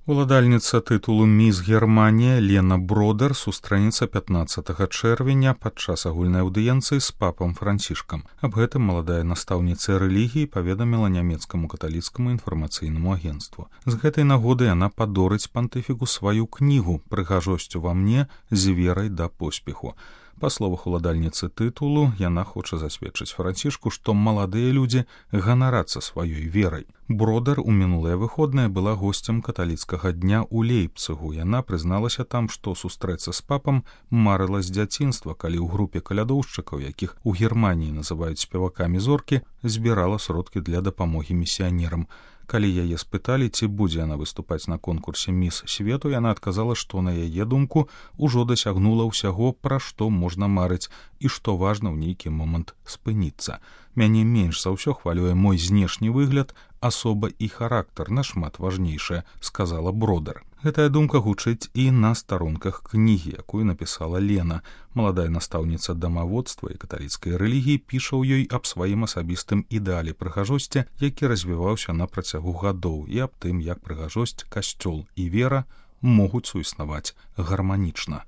Уладальніца тытулу «Міс Германія» Лена Бродер сустрэнецца 15 чэрвеня падчас агульнай аўдыенцыі з папам Францішкам. Аб гэтым маладая настаўніца рэлігіі паведаміла нямецкаму каталіцкаму інфармацыйнаму агенцтву. З гэтай нагоды яна падорыць пантыфіку сваю кнігу «Прыгажосць ува мне з верай да поспеху». Па словах уладальніцы тытулу, яна хоча засведчыць Францішку, што маладыя людзі ганарацца сваёй верай. Бродер у мінулыя выходныя была госцем каталіцкага дня ў Лейпцыгу. Яна прызналася там, што сустрэцца з папам марыла з дзяцінства, калі ў групе калядоўшчыкаў, якіх у Германіі называюць спевакамі зоркі, збірала сродкі для дапамогі місіянерам. Калі яе спыталі, ці будзе яна выступаць на конкурсе «Міс свету», яна адказала, што на яе думку ўжо дасягнула ўсяго, пра што можна марыць і што важна ў нейкі момант спыніцца. Мяне менш за ўсё хвалюе мой знешні выгляд, асоба і характар нашмат важнейшая, сказала Бродер. Гэтая думка гучыць і на старонках кнігі, якую напісала Лена. Маладая настаўніца дамаводства і каталіцкай рэлігіі піша ў ёй аб сваім асабістым ідэале прыгажосці, які развіваўся на працягу гадоў, і аб тым, як прыгажосць, касцёл і вера могуць суіснаваць гарманічна.